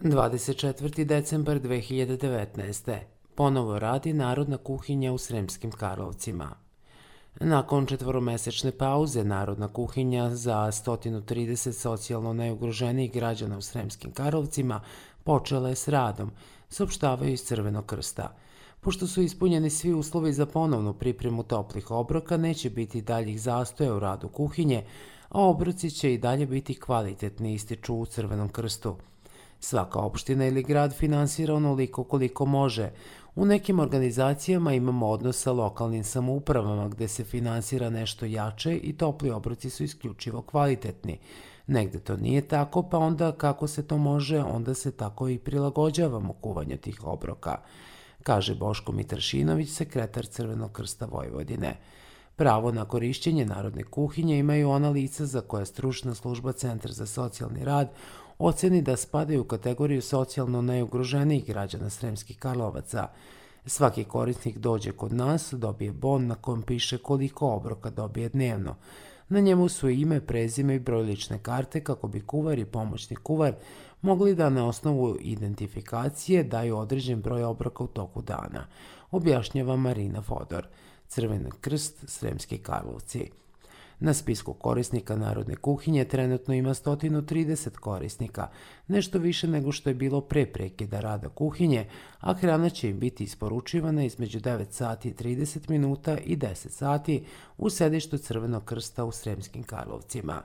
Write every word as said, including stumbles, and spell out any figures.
dvadeset četvrti decembar dve hiljade devetnaeste. Ponovo radi Narodna kuhinja u Sremskim Karlovcima. Nakon četvoromesečne pauze, Narodna kuhinja za sto trideset socijalno najugroženijih građana u Sremskim Karlovcima počela je s radom, saopštavaju iz Crvenog krsta. Pošto su ispunjeni svi uslovi za ponovnu pripremu toplih obroka, neće biti daljih zastoja u radu kuhinje, a obroci će i dalje biti kvalitetni, ističu u Crvenom krstu. Svaka opština ili grad finansira onoliko koliko može. U nekim organizacijama imamo odnos sa lokalnim samoupravama gde se finansira nešto jače i topli obroci su isključivo kvalitetni. Negde to nije tako, pa onda kako se to može, onda se tako i prilagođavamo kuvanju tih obroka, kaže Boško Mitrašinović, sekretar Crvenog krsta Vojvodine. Pravo na korišćenje Narodne kuhinje imaju ona lica za koja stručna služba Centar za socijalni rad oceni da spadaju u kategoriju socijalno najugroženijih građana Sremskih Karlovaca. Svaki korisnik dođe kod nas, dobije bon na kojem piše koliko obroka dobije dnevno. Na njemu su ime, prezime i broj lične karte kako bi kuvar i pomoćni kuvar mogli da na osnovu identifikacije daju određen broj obroka u toku dana, objašnjava Marina Fodor, Crveni krst, Sremski Karlovci. Na spisku korisnika Narodne kuhinje trenutno ima sto trideset korisnika, nešto više nego što je bilo pre prekida rada kuhinje, a hrana će im biti isporučivana između devet sati i trideset minuta i deset sati u sedištu Crvenog krsta u Sremskim Karlovcima.